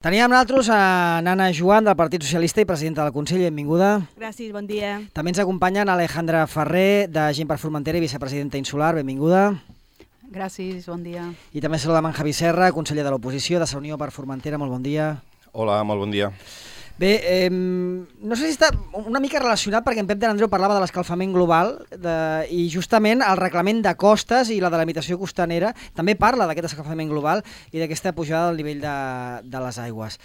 Teníem amb nosaltres a Nana Joan, del Partit Socialista i presidenta del Consell. Benvinguda. Gràcies, bon dia. També ens acompanyen Alejandra Ferrer, de Gent per Formentera i vicepresidenta Insular. Benvinguda. Gràcies, bon dia. I també saludem en Javi Serra, conseller de l'oposició de la Unió per Formentera. Molt bon dia. Hola, molt bon dia. Bé, no sé si està una mica relacionat perquè en Pep de l'Andreu parlava de l'escalfament global i justament el reglament de costes i la delimitació costanera també parla d'aquest escalfament global i d'aquesta pujada del nivell de les aigües.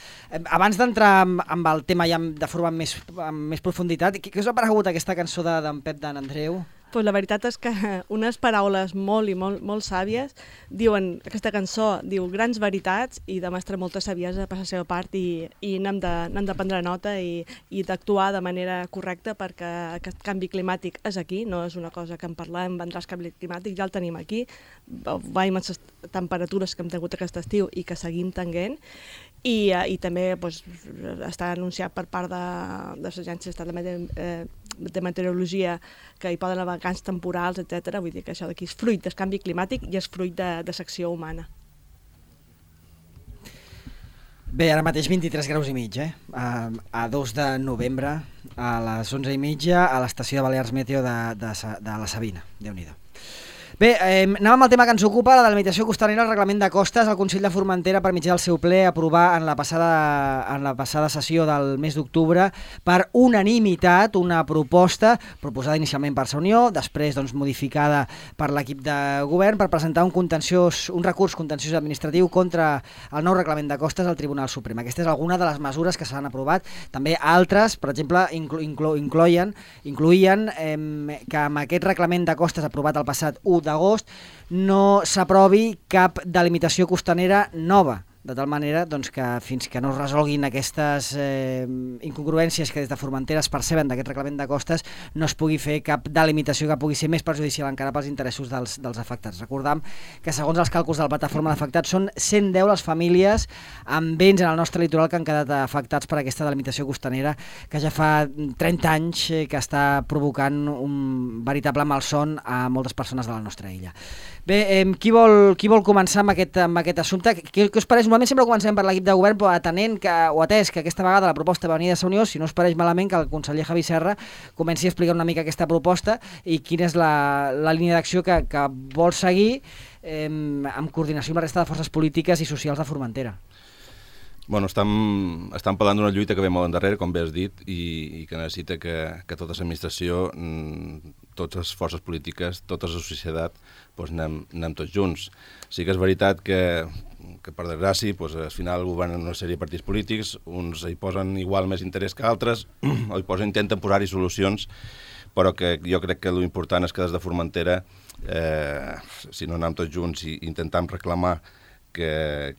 Abans d'entrar amb el tema ja de forma amb més profunditat, què us ha paregut aquesta cançó d'en Pep de l'Andreu? Pues la veritat és que unes paraules molt sàvies diuen, aquesta cançó diu grans veritats i demostra molta saviesa per la seva part i n'hem de prendre nota i d'actuar de manera correcta perquè aquest canvi climàtic és aquí, no és una cosa que en parlem, vendrà el canvi climàtic, ja el tenim aquí, veiem les temperatures que hem tingut aquest estiu i que seguim tenint. I també està anunciat per part de les agències de meteorologia que hi poden haver vacants temporals, etc. Vull dir que això d'aquí és fruit del canvi climàtic i és fruit de l'acció humana. Bé, ara mateix 23 graus i mig, a 2 de novembre, a les 11:30, a l'estació de Balears Meteo de la Sabina. Déu-n'hi-do. Bé, anem amb el tema que ens ocupa, la delimitació costanera, el reglament de costes. El Consell de Formentera, per mitjà del seu ple, aprovar en la passada sessió del mes d'octubre per unanimitat una proposta proposada inicialment per la Unió, després modificada per l'equip de govern per presentar un recurs contenciós administratiu contra el nou reglament de costes al Tribunal Suprem. Aquesta és alguna de les mesures que s'han aprovat. També altres, per exemple, incloïen que amb aquest reglament de costes aprovat el passat 1 d'agost no s'aprovi cap delimitació costanera nova, de tal manera que fins que no es resolguin aquestes incongruències que des de Formentera es perceben d'aquest reglament de costes no es pugui fer cap delimitació que pugui ser més perjudicial encara pels interessos dels afectats. Recordam que segons els càlculs de la plataforma d'afectats són 110 les famílies amb béns en el nostre litoral que han quedat afectats per aquesta delimitació costanera que ja fa 30 anys que està provocant un veritable malson a moltes persones de la nostra illa. Bé, qui vol començar amb aquest assumpte? Què us pareix? Normalment sempre comencem per l'equip de govern, però atès que aquesta vegada la proposta va venir de la Unió, si no us pareix malament que el conseller Javi Serra comenci a explicar una mica aquesta proposta i quina és la línia d'acció que vol seguir en coordinació amb la resta de forces polítiques i socials de Formentera. Bueno, estem parlant d'una lluita que ve molt endarrere, com bé has dit, i que necessita que tota l'administració, totes les forces polítiques, tota la societat, anem tots junts. Sí que és veritat que per desgràcia, al final governen una sèrie de partits polítics, uns hi posen igual més interès que altres, o intenten posar-hi solucions, però que jo crec que l'important és que des de Formentera, si no anem tots junts i intentem reclamar que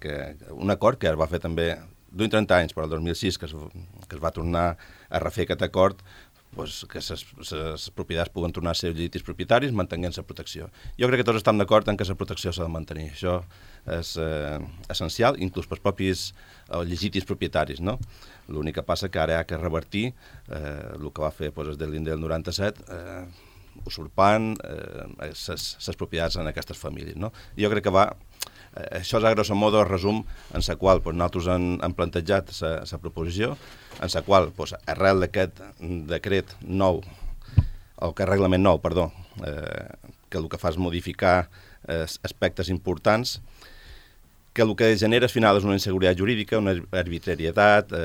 un acord que es va fer també d'un 30 anys, però el 2006 que es va tornar a refer aquest acord, que les propietats puguen tornar a ser legítims propietaris mantenint la protecció. Jo crec que tots estem d'acord en que la protecció s'ha de mantenir. Això és essencial, inclús pels propis legítims propietaris, no? L'únic que passa que ara hi ha que revertir el que va fer des de l'Inde del 97, usurpant les propietats en aquestes famílies, no? Jo crec que això és a grosso modo el resum en la qual nosaltres hem plantejat la proposició, en la qual, arrel d'aquest decret nou, o aquest reglament nou, perdó, que el que fa és modificar aspectes importants, que el que genera al final és una inseguretat jurídica, una arbitrarietat,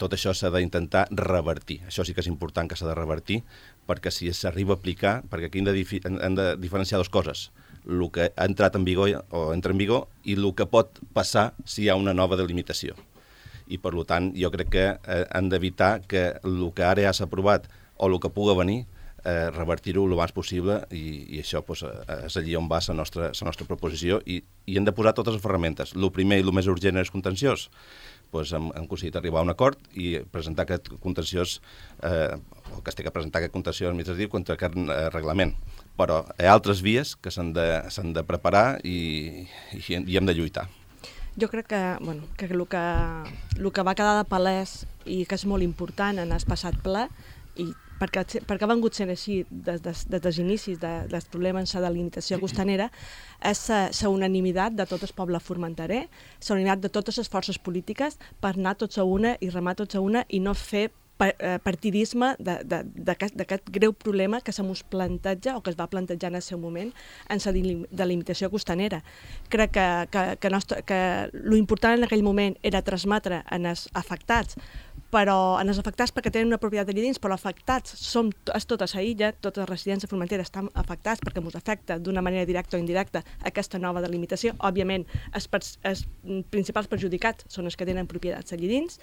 tot això s'ha d'intentar revertir. Això sí que és important que s'ha de revertir, perquè si s'arriba a aplicar, perquè aquí hem de diferenciar dues coses, el que ha entrat en vigor o entra en vigor i el que pot passar si hi ha una nova delimitació. I per tant jo crec que hem d'evitar que el que ara ja s'ha aprovat o el que pugui venir revertir-ho el més possible i això és allí on va la nostra proposició i hem de posar totes les ferramentes. El primer i el més urgent és contenciós. Hem aconseguit arribar a un acord i presentar aquest contenciós, o que es té que presentar aquest contenciós administratiu contra aquest reglament. Però hi ha altres vies que s'han de preparar i hem de lluitar. Jo crec que el que va quedar de palès i que és molt important en el passat ple i perquè ha vengut sent així des dels inicis del problema en la delimitació costanera, és la unanimitat de tot el poble formenterer, la unanimitat de totes les forces polítiques per anar tots a una i remar tots a una i no fer partidisme d'aquest greu problema que se mos planteja o que es va plantejar en el seu moment en la delimitació costanera. Crec que l'important en aquell moment era transmetre en els afectats, però en els afectats perquè tenen una propietat allà dins, però afectats és tota la illa, totes les residències de Formentera estan afectats perquè ens afecta d'una manera directa o indirecta aquesta nova delimitació. Òbviament, els principals perjudicats són els que tenen propietats allà dins.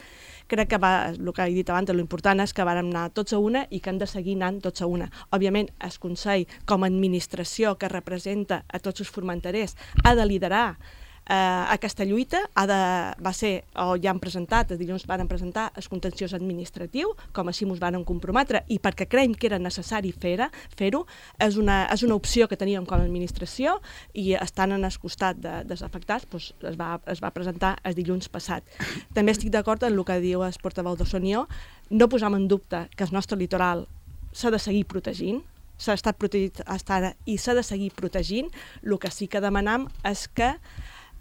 Crec que el que he dit abans, l'important és que vàrem anar tots a una i que hem de seguir anant tots a una. Òbviament, el Consell, com a administració que representa a tots els formenterers, ha de liderar aquesta lluita, va ser, o ja han presentat, dilluns van presentar el contenciós administratiu, com així ens van comprometre, i perquè creiem que era necessari fer-ho, és una opció que teníem com a administració i estant en el costat dels afectats es va presentar el dilluns passat. També estic d'acord en el que diu el portaveu de Sonió, no posam en dubte que el nostre litoral s'ha de seguir protegint, s'ha estat protegit fins ara i s'ha de seguir protegint. El que sí que demanam és que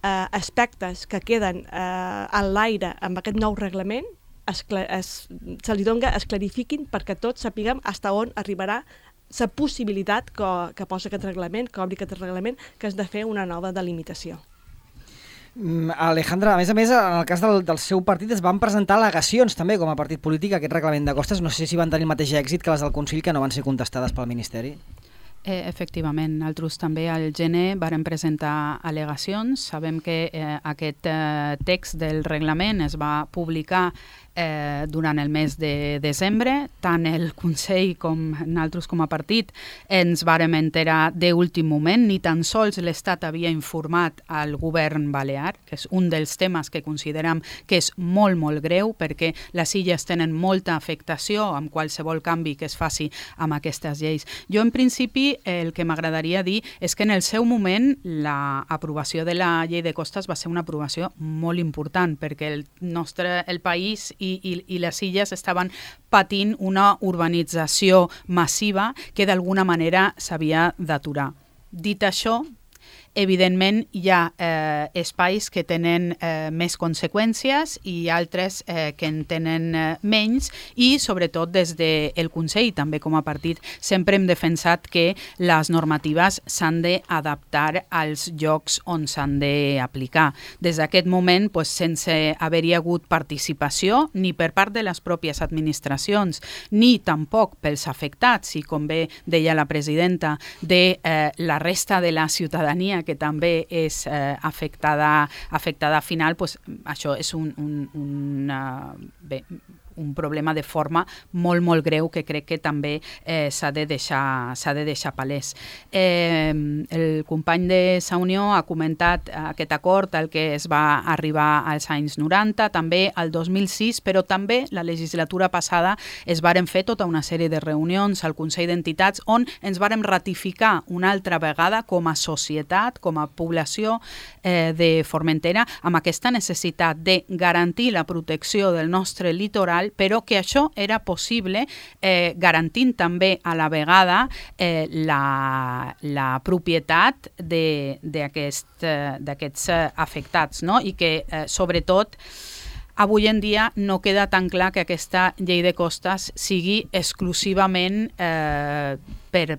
aspectes que queden en l'aire amb aquest nou reglament se li doni, es clarifiquin perquè tots sapiguem fins on arribarà la possibilitat que posa aquest reglament, que obri aquest reglament, que és de fer una nova delimitació. Alejandra, a més, en el cas del seu partit es van presentar al·legacions també com a partit polític a aquest reglament de costes. No sé si van tenir el mateix èxit que les del Consell, que no van ser contestades pel Ministeri. Efectivament, nosaltres també al gener vàrem presentar al·legacions. Sabem que aquest text del reglament es va publicar durant el mes de desembre. Tant el Consell com nosaltres com a partit ens vàrem enterar d'últim moment. Ni tan sols l'Estat havia informat al govern balear, que és un dels temes que considerem que és molt, molt greu, perquè les illes tenen molta afectació amb qualsevol canvi que es faci amb aquestes lleis. Jo, en principi, el que m'agradaria dir és que en el seu moment l'aprovació de la llei de costes va ser una aprovació molt important, perquè el país i les illes estaven patint una urbanització massiva que d'alguna manera s'havia d'aturar. Dit això, evidentment hi ha espais que tenen més conseqüències i altres que en tenen menys, i sobretot des del Consell, també com a partit, sempre hem defensat que les normatives s'han d'adaptar als llocs on s'han d'aplicar. Des d'aquest moment, sense haver-hi hagut participació ni per part de les pròpies administracions, ni tampoc pels afectats, i com bé deia la presidenta, de la resta de la ciutadania que també és afectada final, això és un problema de forma molt, molt greu que crec que també s'ha de deixar palès. El company de Sa Unió ha comentat aquest acord al que es va arribar als anys 90, també al 2006, però també la legislatura passada es varen fer tota una sèrie de reunions al Consell d'Entitats on ens vàrem ratificar una altra vegada com a societat, com a població de Formentera, amb aquesta necessitat de garantir la protecció del nostre litoral, però que això era possible garantint també a la vegada la propietat d'aquests afectats, no? I que sobretot avui en dia no queda tan clar que aquesta llei de costes sigui exclusivament per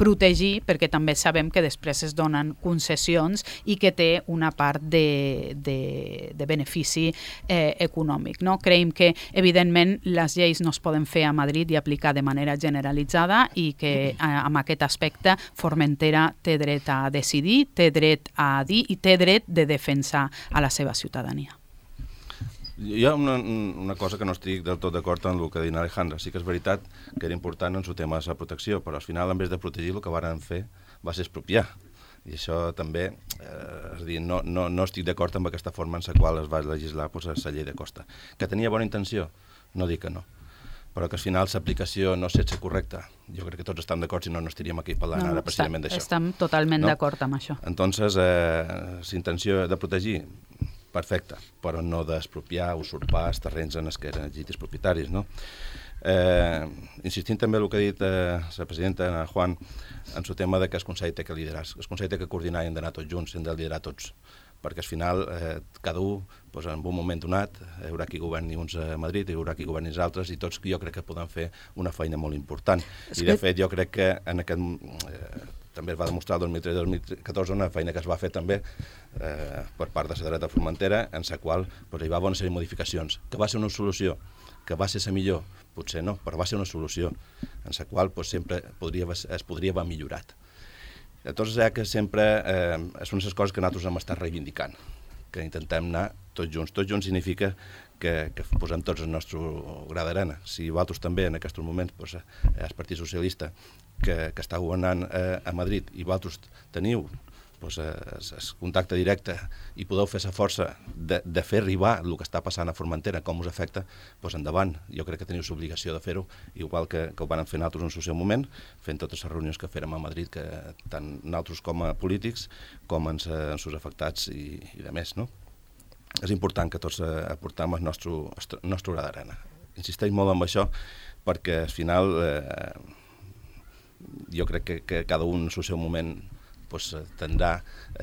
protegir, perquè també sabem que després es donen concessions i que té una part de benefici econòmic. No? Creiem que, evidentment, les lleis no es poden fer a Madrid i aplicar de manera generalitzada i que amb aquest aspecte Formentera té dret a decidir, té dret a dir i té dret de defensar a la seva ciutadania. Hi ha una cosa que no estic del tot d'acord amb el que diu Alejandra. Sí que és veritat que era important en el tema de la protecció, però al final, en vez de protegir, el que varen fer va ser expropiar. I això també, és a dir, no estic d'acord amb aquesta forma en la qual es va legislar la llei de costa. Que tenia bona intenció? No dic que no. Però que al final l'aplicació no sé si és correcta. Jo crec que tots estem d'acord, si no, no estaríem aquí parlant ara precisament d'això. Estem totalment d'acord amb això. Entonces, la intenció de protegir, perfecte, però no d'expropiar, usurpar els terrenys en els que eren legítims propietaris, no? Insistint també en el que ha dit la presidenta Juan, en el tema de que el Consell té que liderar. El Consell té que coordinar i hem d'anar tots junts, hem de liderar tots, perquè al final cada un, en un moment donat, hi haurà qui governi uns a Madrid, hi haurà qui governi els altres, i tots jo crec que podem fer una feina molt important. I de fet jo crec que en aquest... també es va demostrar el 2013-2014 una feina que es va fer també per part de la dreta formentera, en la qual hi va haver una sèrie de modificacions, que va ser una solució, que va ser la millor, potser no, però va ser una solució, en la qual sempre es podria haver millorat. Llavors, que sempre són les coses que nosaltres hem estat reivindicant, que intentem anar tots junts. Tots junts significa que posem tots el nostre gra d'arena. Si vosaltres també en aquests moments el Partit Socialista que està governant a Madrid i vosaltres teniu el contacte directe i podeu fer la força de fer arribar el que està passant a Formentera, com us afecta, endavant. Jo crec que teniu l'obligació de fer-ho, igual que ho van fer nosaltres en el seu moment, fent totes les reunions que fèrem a Madrid, que tant nosaltres com a polítics, com en els afectats i de més, no? És important que tots aportem el nostre gra d'arena. Insisteix molt en això, perquè al final jo crec que cada un en el seu moment tindrà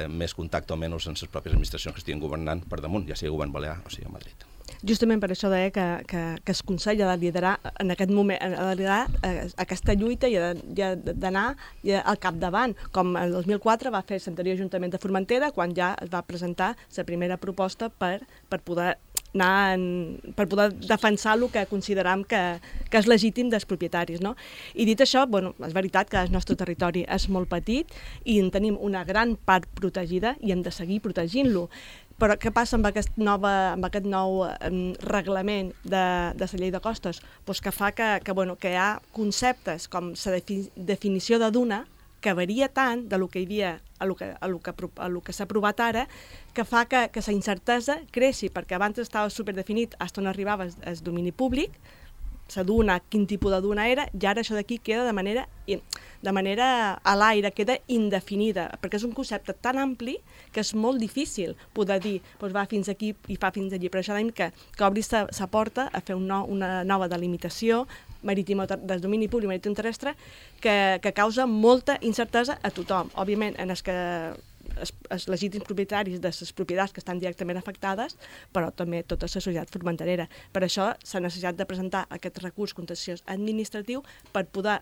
més contacte o menys amb les pròpies administracions que estiguin governant per damunt, ja sigui el govern balear o sigui a Madrid. Justament per això deia que el Consell ha de liderar en aquest moment, ha de liderar aquesta lluita i ha d'anar al capdavant, com el 2004 va fer l'anterior Ajuntament de Formentera, quan ja es va presentar la primera proposta per poder per poder defensar el que consideram que és legítim dels propietaris, no? I dit això, és veritat que el nostre territori és molt petit i en tenim una gran part protegida i hem de seguir protegint-lo. Però què passa amb aquest nou reglament de la llei de costes? Que fa que hi ha conceptes com la definició de duna, que varia tant del que hi havia a lo que s'ha aprovat ara, que fa que la incertesa creixi, perquè abans estava superdefinit fins on arribava el domini públic, la duna, quin tipus de duna era, i ara això d'aquí queda de manera a l'aire, queda indefinida, perquè és un concepte tan ampli que és molt difícil poder dir va fins aquí i fa fins allí. Per això dèiem que obri la porta a fer una nova delimitació marítima del domini públic marítim terrestre que causa molta incertesa a tothom. Òbviament, en els legítims propietaris de les propietats que estan directament afectades, però també tota la societat formenterera. Per això s'ha necessitat de presentar aquest recurs contenciós administratiu per poder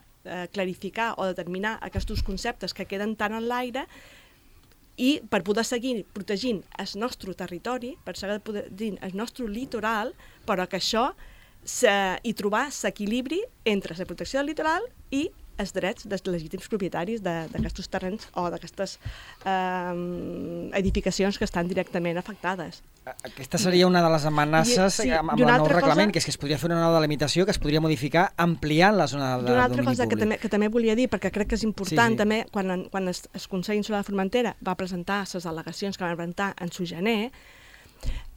clarificar o determinar aquests conceptes que queden tant en l'aire i per poder seguir protegint el nostre territori, per seguir protegint el nostre litoral, però que això i trobar l'equilibri entre la protecció del litoral i els drets dels legítims propietaris d'aquests terrenys o d'aquestes edificacions que estan directament afectades. Aquesta seria una de les amenaces amb el nou reglament, que és que es podria fer una nova delimitació que es podria modificar ampliant la zona del domini públic. Una altra cosa que també volia dir, perquè crec que és important també, quan el Consell Insular de Formentera va presentar les al·legacions que van presentar en su gener,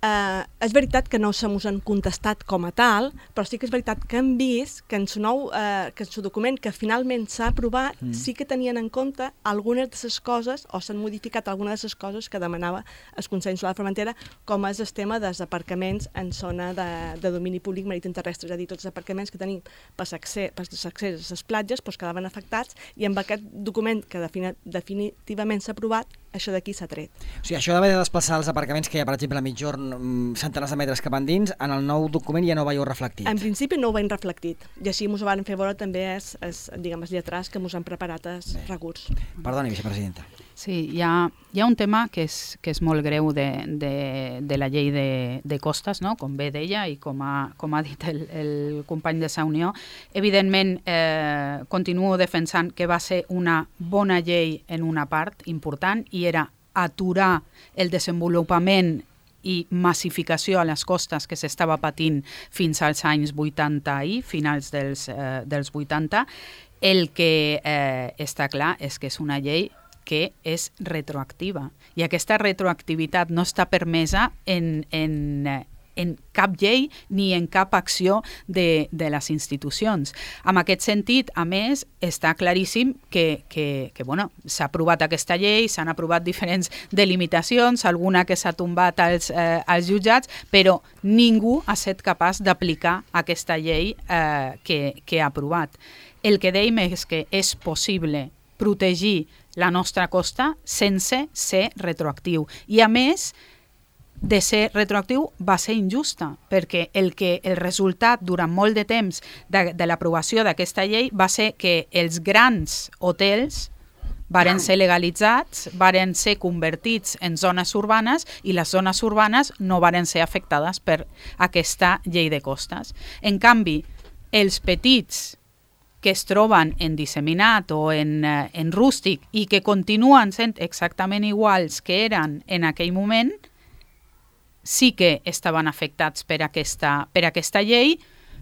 és veritat que no se mos han contestat com a tal, però sí que és veritat que hem vist que en el document que finalment s'ha aprovat sí que tenien en compte algunes de les coses, o s'han modificat algunes de les coses que demanava el Consell Insular de Formentera, com és el tema dels aparcaments en zona de domini públic marítim terrestre, és a dir, tots els aparcaments que tenim per l'accés a les platges quedaven afectats, i amb aquest document que definitivament s'ha aprovat, això d'aquí s'ha tret. O sigui, això d'haver de desplaçar els aparcaments que hi ha, per exemple, a mitjorn, centenars de metres cap endins, en el nou document ja no ho veieu reflectit? En principi no ho veiem reflectit, i així ens ho van fer veure també els lletrats que ens han preparat el recurs. Perdoni, vicepresidenta. Sí, hi ha un tema que és molt greu de la llei de costes, no? Com bé deia i com ha dit el company de Sa Unió. Evidentment, continuo defensant que va ser una bona llei en una part important, i era aturar el desenvolupament i massificació a les costes que s'estava patint fins als anys 80 i finals dels 80. El que està clar és que és una llei que és retroactiva, i aquesta retroactivitat no està permesa en en cap llei ni en cap acció de les institucions. En aquest sentit, a més, està claríssim que bueno, s'ha aprovat aquesta llei, s'han aprovat diferents delimitacions, alguna que s'ha tombat als jutjats, però ningú ha estat capaç d'aplicar aquesta llei que ha aprovat. El que dèiem és que és possible protegir la nostra costa sense ser retroactiu. I a més, de ser retroactiu va ser injusta, perquè el resultat durant molt de temps de l'aprovació d'aquesta llei va ser que els grans hotels varen ser legalitzats, varen ser convertits en zones urbanes i les zones urbanes no varen ser afectades per aquesta llei de costes. En canvi, els petits que es troben en disseminat o en rústic i que continuen sent exactament iguals que eren en aquell moment, sí que estaven afectats per aquesta llei,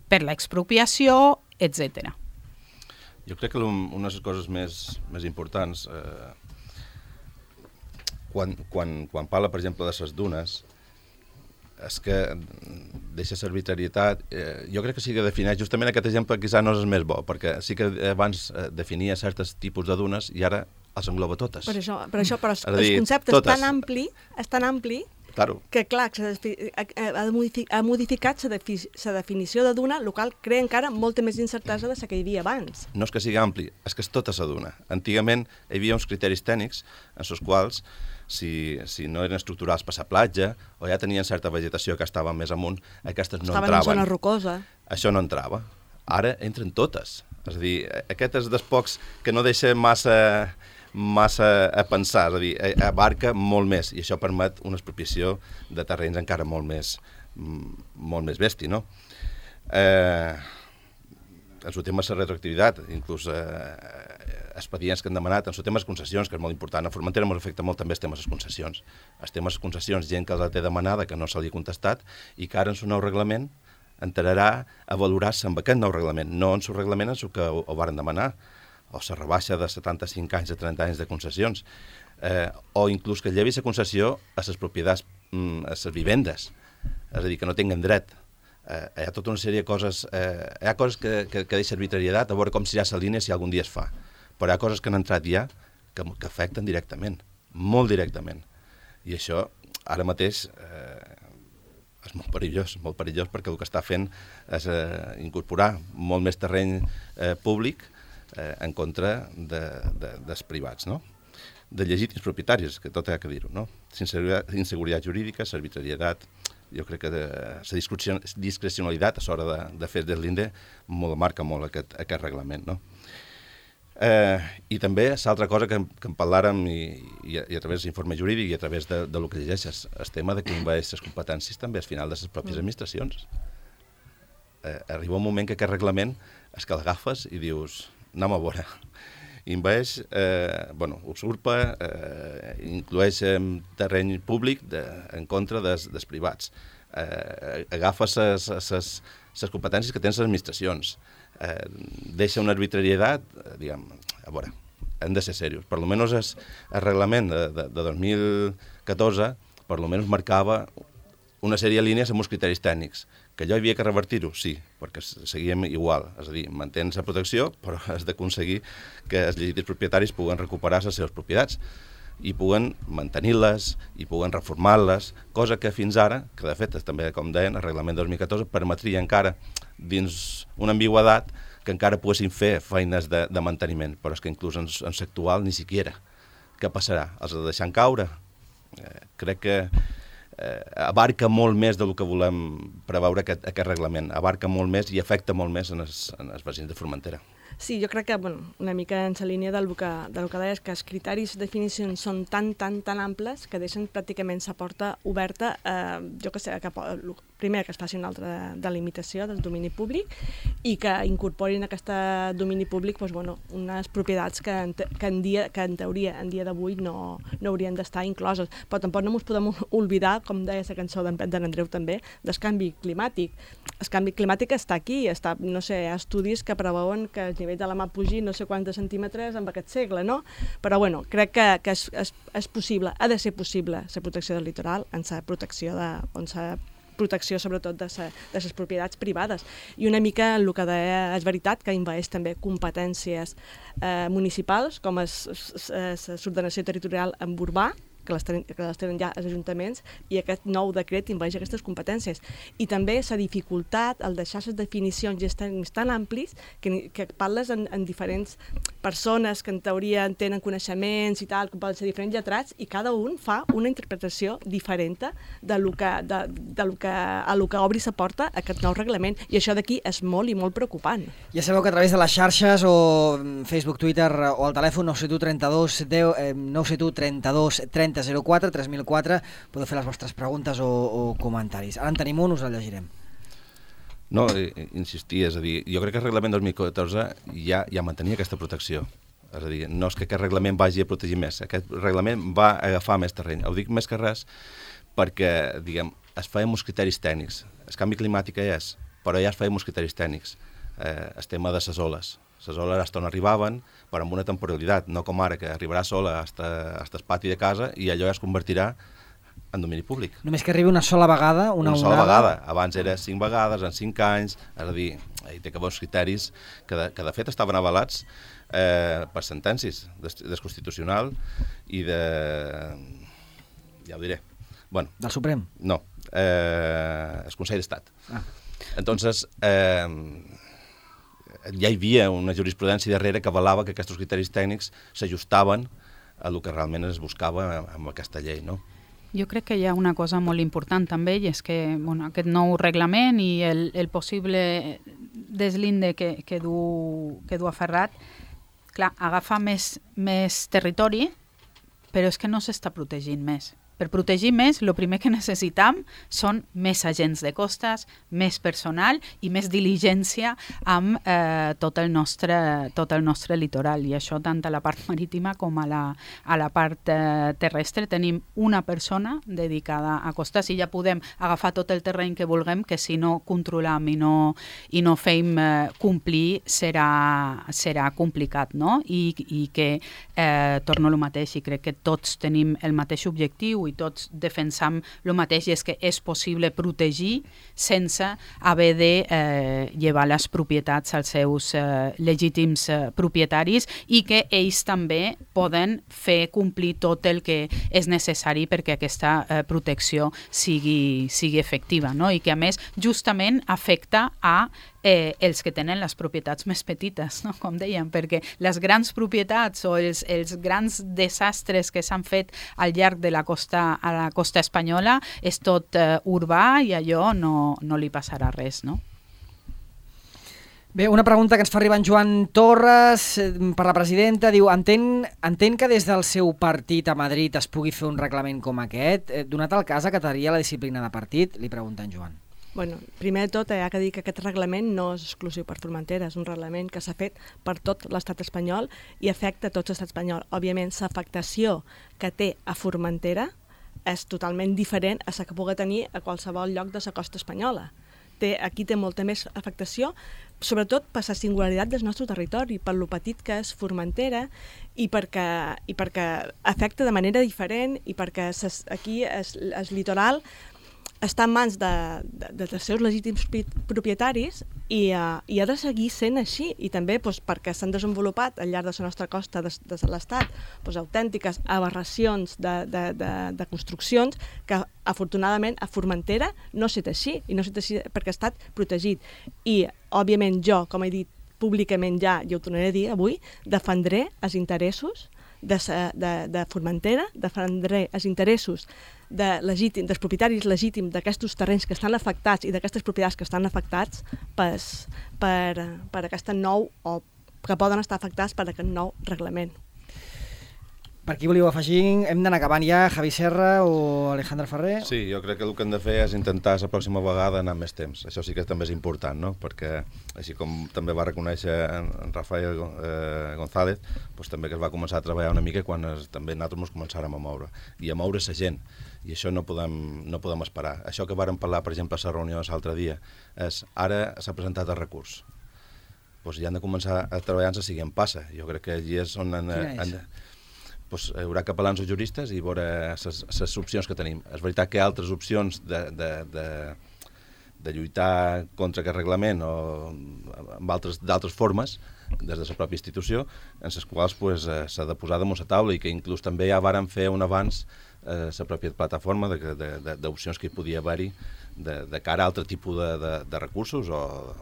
per l'expropiació, etc. Jo crec que una de les coses més importants, quan parla, per exemple, de les dunes, és que deixa l'arbitrarietat. Jo crec que sí que defineix, justament aquest exemple quizà no és el més bo, perquè sí que abans definia certs tipus de dunes i ara els engloba totes. Però el concepte és tan ampli claro, que clar, ha modificat la definició de duna, el qual crea encara molta més incertesa de la que hi havia abans. No és que sigui ampli, és que és tota la duna. Antigament hi havia uns criteris tècnics en els quals si no eren estructurals per la platja o ja tenien certa vegetació que estava més amunt, aquestes no entraven. Estaven en zona rocosa. Això no entrava. Ara entren totes. És a dir, aquest és dels pocs que no deixa massa a pensar, és a dir, abarca molt més i això permet una expropiació de terrenys encara molt més bèstia, no? En el tema de la retroactivitat, inclús expedients que han demanat, en el tema de les concessions, que és molt important, a Formentera ens afecta molt també el tema de les concessions. El tema de les concessions, gent que la té demanada, que no se li ha contestat, i que ara en el nou reglament entrarà a valorar-se amb aquest nou reglament, no en el reglament en el que ho varen demanar, o la rebaixa de 75 anys a 30 anys de concessions, o inclús que llevi la concessió a les propietats, a les vivendes, és a dir, que no tinguen dret. Hi ha tota una sèrie de coses, hi ha coses que deixa arbitrarietat, a veure com serà la línia si algun dia es fa, però hi ha coses que han entrat ja que afecten directament, molt directament. I això, ara mateix, és molt perillós perquè el que està fent és incorporar molt més terreny públic en contra dels privats, no? De legítims propietaris, que tot ha que dir-ho, no? Inseguretat jurídica, arbitrarietat, jo crec que la discrecionalitat a l'hora de fer del l'INDE marca molt aquest reglament, no? I també l'altra cosa que en parlàrem i a través de l'informe jurídic i a través del que llegeixes, el tema de que envaeix les competències també al final de les pròpies administracions. Arriba un moment que aquest reglament és que l'agafes i dius, anem a veure, envaeix, usurpa, inclueix terreny públic en contra dels privats, agafa les competències que tenen les administracions, deixa una arbitrarietat, diguem, a veure, hem de ser serios. Per almenys el reglament de 2014 per almenys marcava una sèrie de línies amb uns criteris tècnics. Que allò havia que revertir-ho, sí, perquè seguíem igual. És a dir, mantens la protecció, però has d'aconseguir que els legítims propietaris puguen recuperar les seves propietats i puguen mantenir-les i puguen reformar-les, cosa que fins ara, que de fet també, com deien, el reglament 2014 permetria encara, dins una ambigüedat, que encara poguessin fer feines de manteniment, però és que inclús en l'actual ni siquiera. Què passarà? Els deixant caure? Crec que abarca molt més del que volem preveure aquest reglament, abarca molt més i afecta molt més en els veïns de Formentera. Sí, jo crec que una mica en la línia del que deies, que els criteris de definicions són tan amples que deixen pràcticament la porta oberta, jo que sé, primer que es faci una altra delimitació del domini públic i que incorporin a aquest domini públic unes propietats que en teoria, en dia d'avui, no haurien d'estar incloses. Però tampoc no ens podem oblidar, com deia la cançó d'en Andreu també, del canvi climàtic. El canvi climàtic està aquí, no sé, hi ha estudis que preveuen que el nivell de la mar pugi no sé quants centímetres en aquest segle, no? Però crec que és possible, ha de ser possible la protecció del litoral en la protecció on s'ha protecció sobretot de les propietats privades. I una mica el que deia és veritat que envaeix també competències municipals, com l'ordenació territorial en urbà, que les tenen ja els ajuntaments, i aquest nou decret envaeix aquestes competències. I també s'ha dificultat el deixar les definicions i tan amplis que parles en diferents persones que en teoria tenen coneixements i tal, que poden ser diferents lletrats, i cada un fa una interpretació diferent de lo que obri la porta a aquest nou reglament. I això d'aquí és molt i molt preocupant. Ja sabeu que a través de les xarxes o Facebook, Twitter o al telèfon 971 32 30 04 3004 podeu fer les vostres preguntes o comentaris. Ara en tenim un, us el llegirem. No, insistir, és a dir, jo crec que el reglament 2014 ja mantenia aquesta protecció. És a dir, no és que aquest reglament vagi a protegir més, aquest reglament va agafar més terreny. Ho dic més que res perquè, diguem, es feien uns criteris tècnics. El canvi climàtic és, però ja es feien uns criteris tècnics. El tema de les oles. Les oles hasta on arribaven, però amb una temporalitat, no com ara, que arribarà sola hasta el pati de casa i allò ja es convertirà en domini públic. Només que arribi una sola vegada? Una sola vegada. Abans era 5 vegades, en 5 anys, és a dir, hi té que haver uns criteris que de fet estaven avalats per sentències del Constitucional i de... ja ho diré. Bueno, del Suprem? No, el Consell d'Estat. Entonces, ja hi havia una jurisprudència darrere que avalava que aquests criteris tècnics s'ajustaven a el que realment es buscava amb aquesta llei, no? Jo crec que hi ha una cosa molt important també, i és que aquest nou reglament i el possible deslinde que du aferrat, clar, agafa més territori, però és que no s'està protegint més. Per protegir més, el primer que necessitam són més agents de costes, més personal i més diligència amb tot el nostre litoral. I això tant a la part marítima com a la part terrestre. Tenim una persona dedicada a costes i ja podem agafar tot el terreny que vulguem, que si no controlam i no fem complir serà complicat, no? I que torno al mateix, i crec que tots tenim el mateix objectiu i tots defensam el mateix, i és que és possible protegir sense haver de llevar les propietats als seus legítims propietaris, i que ells també poden fer complir tot el que és necessari perquè aquesta protecció sigui efectiva, no? I que a més justament afecta a els que tenen les propietats més petites, no? Com dèiem, perquè les grans propietats o els grans desastres que s'han fet al llarg de la costa espanyola és tot urbà, i allò no li passarà res, no? Bé, una pregunta que ens fa arribar en Joan Torres per la presidenta. Diu, entén que des del seu partit a Madrid es pugui fer un reglament com aquest? Donat el cas, acataria la disciplina de partit? Li pregunta en Joan. Bueno, primer de tot, hi ha que dir que aquest reglament no és exclusiu per Formentera, és un reglament que s'ha fet per tot l'estat espanyol i afecta tot l'estat espanyol. Òbviament, l'afectació que té a Formentera és totalment diferent a la que pugui tenir a qualsevol lloc de la costa espanyola. Aquí té molta més afectació, sobretot per la singularitat del nostre territori, per lo petit que és Formentera i perquè afecta de manera diferent, i perquè aquí el litoral està en mans dels seus legítims propietaris i ha de seguir sent així, i també perquè s'han desenvolupat al llarg de la nostra costa de l'Estat autèntiques aberracions de construccions que afortunadament a Formentera no s'ha fet així, i no s'ha fet així perquè ha estat protegit. I òbviament jo, com he dit públicament ja, i ho tornaré a dir avui, defendré els interessos de Formentera, defendré els interessos dels propietaris legítims d'aquests terrenys que estan afectats i d'aquestes propietats que estan afectats per aquest nou, o que poden estar afectats per aquest nou reglament. Per qui volíeu afegir? Hem d'anar acabant ja, Javi Serra o Alejandra Ferrer? Sí, jo crec que el que hem de fer és intentar la pròxima vegada anar més temps. Això sí que també és important, no? Perquè, així com també va reconèixer en Rafael González, doncs també que es va començar a treballar una mica quan també nosaltres ens començàrem a moure. I a moure la gent. I això no podem esperar. Això que vàrem parlar, per exemple, a la reunió l'altre dia, és ara s'ha presentat el recurs. Doncs ja han de començar a treballar en la següent passa. Jo crec que allí és on doncs, hi haurà capellans o juristes i veure les opcions que tenim. És veritat que hi ha altres opcions de lluitar contra aquest reglament o amb d'altres formes des de la pròpia institució, en les quals s'ha de posar damunt la taula i que inclús també ja varen fer un avanç la pròpia plataforma d'opcions que hi podia haver-hi de cara a altre tipus de recursos o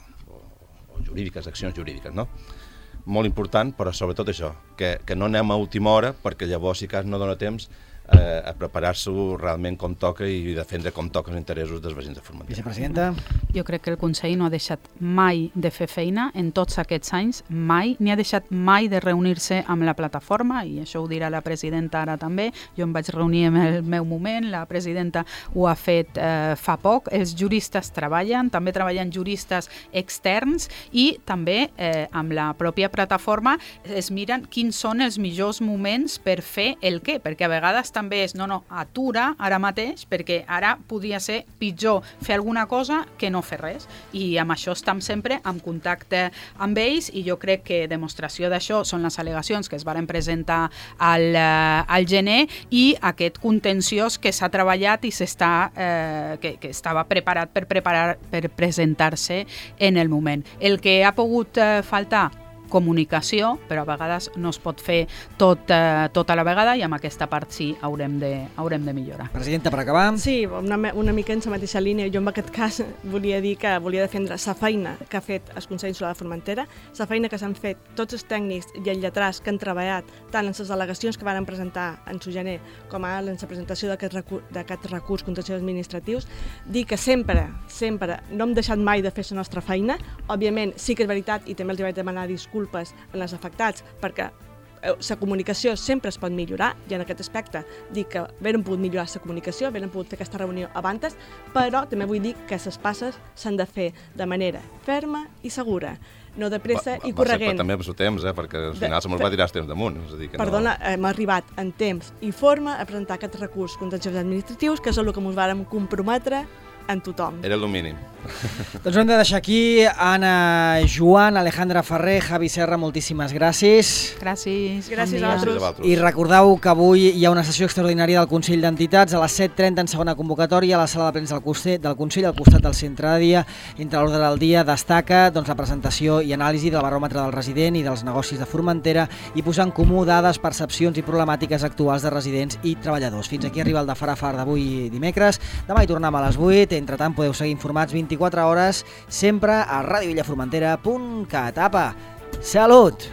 jurídiques, accions jurídiques, no? Molt important, però sobretot això, que no anem a última hora, perquè llavors, si cas, no dona temps a preparar-s'ho realment com toca i defendre com toca els interessos dels veïns de Formentera. Vicepresidenta. Jo crec que el Consell no ha deixat mai de fer feina en tots aquests anys, mai, ni ha deixat mai de reunir-se amb la plataforma, i això ho dirà la presidenta ara també. Jo em vaig reunir en el meu moment, la presidenta ho ha fet fa poc, els juristes treballen, també treballen juristes externs i també amb la pròpia plataforma es miren quins són els millors moments per fer el què, perquè a vegades també és, atura ara mateix, perquè ara podria ser pitjor fer alguna cosa que no fer res. I amb això estem sempre en contacte amb ells i jo crec que demostració d'això són les al·legacions que es varen presentar al gener i aquest contenciós que s'ha treballat i que estava preparat per presentar-se en el moment. El que ha pogut faltar comunicació, però a vegades no es pot fer tot a la vegada i amb aquesta part sí haurem de millorar. Presidenta, per acabar. Sí, una mica en la mateixa línia. Jo en aquest cas volia dir que volia defendre la feina que ha fet el Consell Insular de Formentera, la feina que s'han fet tots els tècnics i els lletrats que han treballat tant en les al·legacions que van presentar en su gener com ara en la presentació d'aquest recurs contenciós administratius, dir que sempre no hem deixat mai de fer la nostra feina. Òbviament sí que és veritat i també els vaig demanar disculpes en els afectats, perquè la comunicació sempre es pot millorar i en aquest aspecte dic que haguem pogut millorar la comunicació, haguem pogut fer aquesta reunió abans, però també vull dir que les passes s'han de fer de manera ferma i segura, no de pressa i corregent. També amb el temps, perquè al final se me'ls va tirar el temps damunt. Perdona, hem arribat en temps i forma a presentar aquest recurs contenciós administratius, que és el que ens vàrem comprometre en tothom. Era el mínim. Doncs ho hem de deixar aquí. Anna, Joan, Alejandra Ferrer, Javi Serra, moltíssimes gràcies. Gràcies. Gràcies a vosaltres. I recordeu que avui hi ha una sessió extraordinària del Consell d'Entitats a les 7:30 en segona convocatòria a la sala de premsa del Consell al costat del centre de dia. Entre l'ordre del dia destaca la presentació i anàlisi del baròmetre del resident i dels negocis de Formentera i posar en comú dades, percepcions i problemàtiques actuals de residents i treballadors. Fins aquí arriba el de Far a Far d'avui dimecres. Demà hi tornem a les 8. Entretant podeu seguir informats 24 hores sempre a radiovillaformentera.cat. Apa, salut!